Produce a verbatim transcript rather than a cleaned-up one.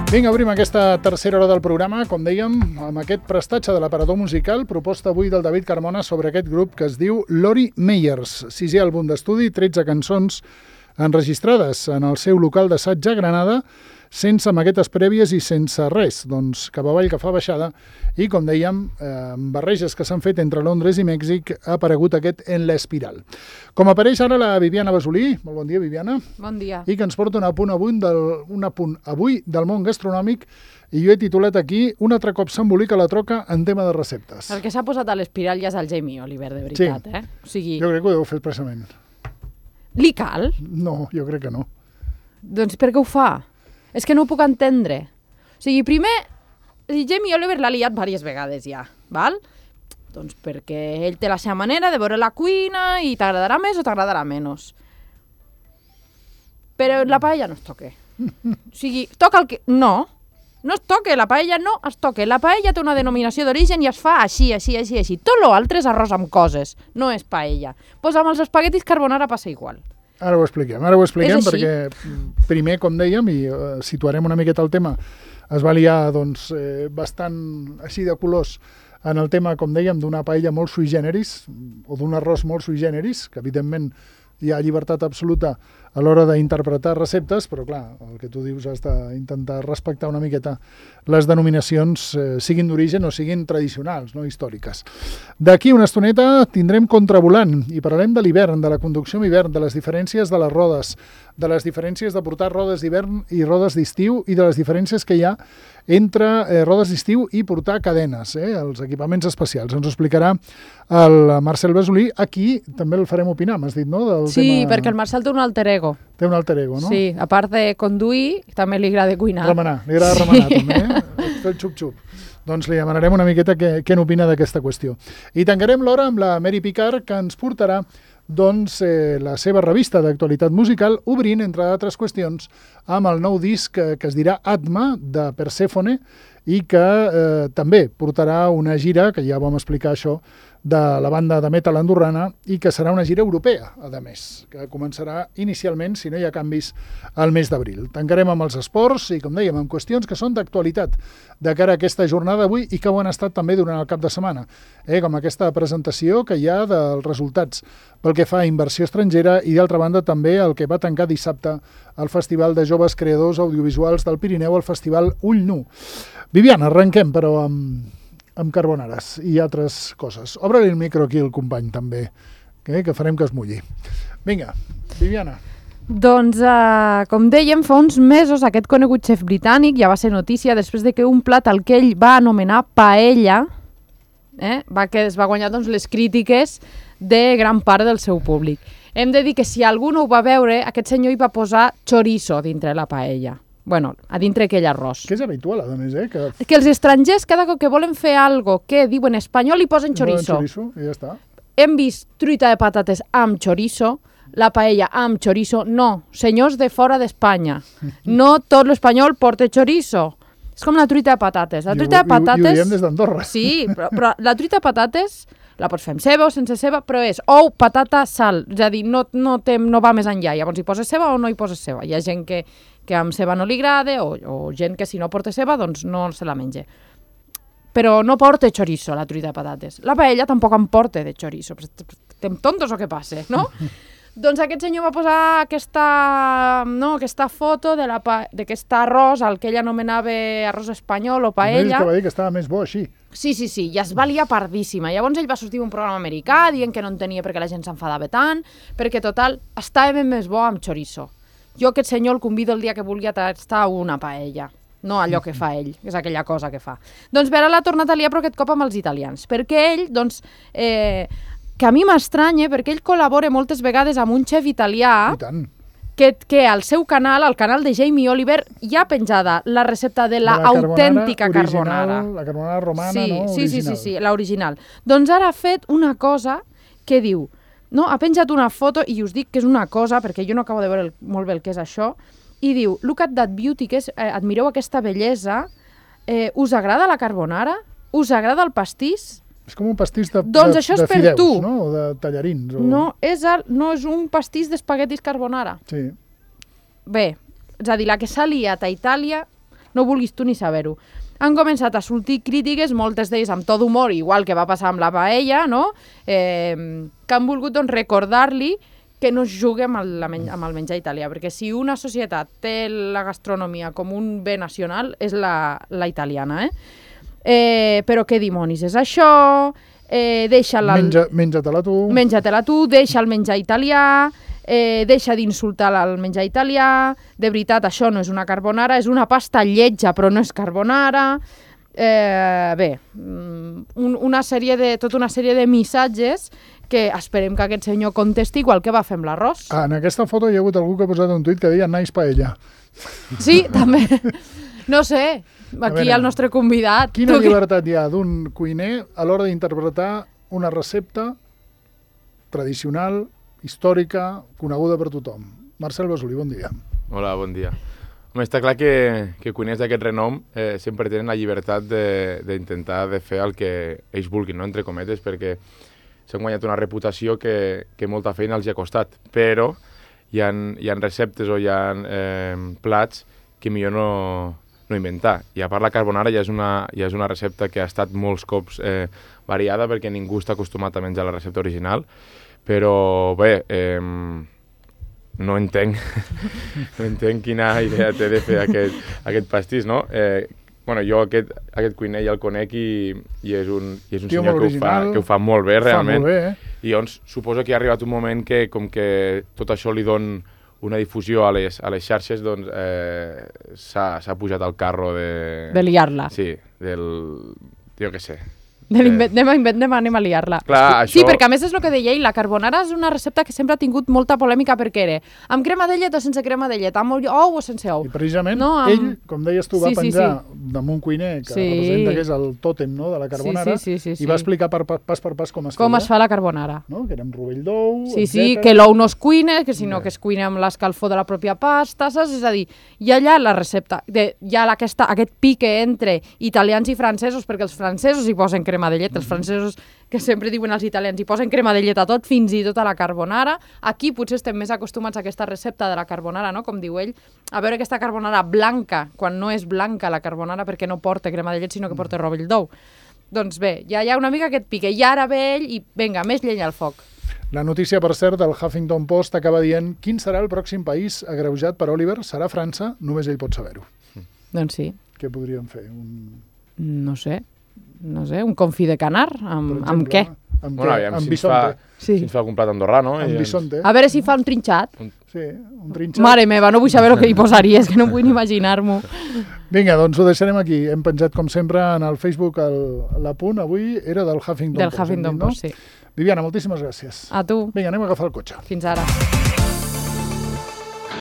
Vinga, obrim aquesta tercera hora del programa, com dèiem, amb aquest prestatge de l'aparador musical, proposta avui del David Carmona sobre aquest grup que es diu Lori Meyers, sisè àlbum d'estudi, tretze cançons enregistrades en el seu local d'assaig a Granada, sense maquetes prèvies i sense res, doncs cap avall que fa baixada, i com dèiem, eh, amb barreges que s'han fet entre Londres i Mèxic, ha aparegut aquest En l'Espiral. Com apareix ara la Viviana Basolí, molt bon dia, Viviana. Bon dia. I que ens porta un apunt avui del, un apunt avui del món gastronòmic, i jo he titulat aquí Un altre cop s'embolica la troca en tema de receptes. El que s'ha posat a l'espiral ja és el Jamie Oliver, de veritat, sí. eh? O sigui... Jo crec que ho deu fer expressament. Li cal? No, jo crec que no. Doncs per què ho fa? És que no ho puc entendre. O sigui, primer, el Jamie Oliver l'ha liat diverses vegades ja, val? Doncs perquè ell té la seva manera de veure la cuina i t'agradarà més o t'agradarà menys. Però la paella no es toque. O sigui, toca el que... No, no es toque, la paella no es toque. La paella té una denominació d'origen i es fa així, així, així, així. Tot l'altre és arròs amb coses, no és paella. Pues amb els espaguetis carbonara passa igual. Ara ho expliquem, ara ho expliquem perquè primer, com dèiem, i uh, situarem una miqueta el tema, es va liar doncs, eh, bastant així de colors en el tema, com dèiem, d'una paella molt sui generis, o d'un arròs molt sui generis, que evidentment hi ha llibertat absoluta a l'hora d'interpretar receptes, però clar, el que tu dius has d'intentar respectar una miqueta les denominacions, eh, siguin d'origen o siguin tradicionals, no històriques. D'aquí una estoneta tindrem Contravolant i parlarem de l'hivern, de la conducció en hivern, de les diferències de les rodes, de les diferències de portar rodes d'hivern i rodes d'estiu i de les diferències que hi ha entre eh, rodes d'estiu i portar cadenes, eh, els equipaments especials. Ens ho explicarà el Marcel Basolí. Aquí també el farem opinar, m'has dit, no? Del sí, tema... perquè el Marcel té un alter ego. Té un alter ego, no? Sí, a part de conduir, també li agrada cuinar. Remenar, li agrada remenar, sí. També, eh? Fer el xup-xup. Doncs li demanarem una miqueta què, què n'opina d'aquesta qüestió. I tancarem l'hora amb la Mary Picard, que ens portarà doncs, eh, la seva revista d'actualitat musical, obrint, entre altres qüestions, amb el nou disc que, que es dirà Atma, de Persephone, i que eh, també portarà una gira, que ja vam explicar això, de la banda de metal andorrana, i que serà una gira europea, a més, que començarà inicialment, si no hi ha canvis, al mes d'abril. Tancarem amb els esports i, com dèiem, amb qüestions que són d'actualitat de cara a aquesta jornada d'avui i que ho han estat també durant el cap de setmana, eh, com aquesta presentació que hi ha dels resultats pel que fa a inversió estrangera i, d'altra banda, també el que va tancar dissabte el Festival de Joves Creadors Audiovisuals del Pirineu, el Festival Ull Nu. Viviana, arrenquem, però amb... amb carbonares i altres coses. Obre-li el micro aquí el company, també, que, que farem que es mulli. Vinga, Viviana. Doncs, uh, com dèiem, fa uns mesos aquest conegut xef britànic ja va ser notícia després de que un plat al que ell va anomenar paella eh, va, que es va guanyar doncs, les crítiques de gran part del seu públic. Hem de dir que si algú no ho va veure, aquest senyor hi va posar chorizo dintre la paella. Bueno, a dintre aquell arròs. Que és habitual, a més, eh? Que, que els estrangers, cada cop que volen fer algo que diuen espanyol, hi posen chorizo. chorizo i ja està. Hem vist truita de patates amb chorizo, la paella amb chorizo. No, senyors de fora d'Espanya. No tot l'espanyol porta chorizo. És com la truita de patates. La truita de patates... I ho diem des d'Andorra. Sí, però, però la truita de patates la pots fer amb ceba o sense ceba, però és ou, patata, sal. És a dir, no, no, té, no va més enllà. Llavors hi poses ceba o no hi poses ceba. Hi ha gent que, que amb ceba no li agrada o, o gent que si no porta ceba doncs no se la menja. Però no porta chorizo la truita de patates. La paella tampoc en porta de chorizo. Estem tontos o què passa, no? Doncs aquest senyor va posar aquesta, no, aquesta foto d'aquest arròs, el que ell anomenava arròs espanyol o paella. Que va dir que estava més bo així. Sí, sí, sí, i es va liar pardíssima. Llavors ell va sortir un programa americà dient que no en tenia perquè la gent s'enfadava tant, perquè total, estava més bo amb chorizo. Jo aquest senyor el convido el dia que vulgui a tastar una paella. No allò que fa ell, és aquella cosa que fa. Doncs ara l'ha tornat a liar, però aquest cop amb els italians, perquè ell, doncs, eh, que a mi m'estranya, perquè ell col·labora moltes vegades amb un xef italià que, que al seu canal, al canal de Jamie Oliver, hi ha penjada la recepta de la, la autèntica carbonara. Original, la carbonara romana, sí, no? Sí, original. sí, sí, sí, l'original. Doncs ara ha fet una cosa que diu, no, ha penjat una foto, i us dic que és una cosa, perquè jo no acabo de veure el, molt bé el que és això, i diu, look at that beauty, que és, eh, admireu aquesta bellesa, eh, us agrada la carbonara? Us agrada el pastís? És com un pastís de, doncs de, això és de per fideus, tu. No? O de tallarins. O... No, és el, no és un pastís d'espaguetis carbonara. Sí. Bé, és a dir, la que s'ha liat a Itàlia, no vulguis tu ni saber-ho. Han començat a sortir crítiques, moltes d'elles amb tot humor, igual que va passar amb la paella, no? eh, que han volgut doncs, recordar-li que no es jugui amb el, amb el menjar italià, perquè si una societat té la gastronomia com un bé nacional, és la, la italiana. Eh? Eh, però què dimonis és això? Eh, deixa-la... Menja, menja-te-la tu. Menja-te-la tu, deixa el menjar italià, eh, deixa d'insultar el menjar italià, de veritat, això no és una carbonara, és una pasta lletja, però no és carbonara. Eh, bé, un, una sèrie de, tota una sèrie de missatges que esperem que aquest senyor contesti igual que va fer amb l'arròs. Ah, en aquesta foto hi ha hagut algú que ha posat un tuit que deia nice paella. Sí, també. No sé, aquí veure, el nostre convidat... Quina llibertat hi ha d'un cuiner a l'hora d'interpretar una recepta tradicional, històrica, coneguda per tothom. Marcel Basulí, bon dia. Hola, bon dia. Home, està clar que, que cuiners d'aquest renom eh, sempre tenen la llibertat d'intentar de, de fer el que ells vulguin, no? Entre cometes, perquè s'han guanyat una reputació que, que molta feina els hi ha costat, però hi ha, hi ha receptes o hi ha eh, plats que millor no, no inventar. I a part la carbonara ja és una, ja és una recepta que ha estat molts cops eh, variada perquè ningú està acostumat a menjar la recepta original, però bé, eh, no entenc, no entenc quina idea té de fer aquest, aquest pastís, no? Eh, bueno, jo aquest, aquest cuiner ja el conec i, i és un, i és un senyor que ho, fa, que ho fa molt bé, realment. Fa molt bé, eh? I llavors suposo que ha arribat un moment que, com que tot això li don una difusió a les, a les xarxes, doncs eh, s'ha pujat al carro de... De liar-la. Sí, del... jo què sé. De eh... anem, a anem, anem a liar-la. Clar, sí, això... perquè a més és el que deia ell, la carbonara és una recepta que sempre ha tingut molta polèmica perquè era amb crema de llet o sense crema de llet, amb ou o sense ou. I precisament no, amb... ell, com deies tu, va sí, penjar sí, sí. damunt cuiner, que sí. representa que és el tòtem, no?, de la carbonara, sí, sí, sí, sí, i va sí. explicar per, per, pas per pas com es feia. Com es fa la carbonara. No? Que era amb rovell d'ou, Sí, etcètera. sí, que l'ou no es cuina, que sinó que es cuina amb l'escalfor de la pròpia pasta, saps? És a dir, hi ha allà la recepta, de, hi ha aquesta, aquest pique entre italians i francesos, perquè els francesos hi posen crema de llet, els francesos que sempre diuen els italians, hi posen crema de llet a tot, fins i tot a la carbonara. Aquí potser estem més acostumats a aquesta recepta de la carbonara, no? Com diu ell, a veure aquesta carbonara blanca, quan no és blanca la carbonara perquè no porta crema de llet, sinó que porta rovell d'ou. Doncs bé, ja hi ha una mica aquest pique, i ara ve ell i vinga, més llenya al foc. La notícia, per cert, del Huffington Post acaba dient quin serà el pròxim país agreujat per Oliver? Serà França, només ell pot saber-ho. Doncs sí. Què podríem fer? Un... No sé. No sé, un confit de canar? Amb, exemple, amb què? Amb, bueno, què? amb amb si bisonte. Fa, sí. si ens fa un plat andorrà, no? Amb bisonte. A veure si fa un trinxat. Sí, un trinxat. Mare meva, no vull saber el que hi posaries, que no vull ni imaginar-m'ho. Vinga, doncs ho deixarem aquí. Hem penjat, com sempre, en el Facebook el, l'apunt. Avui era del Huffington Del Post. Huffington Post, Post, sí. Viviana, moltíssimes gràcies. A tu. Vinga, anem a agafar el cotxe. Fins ara.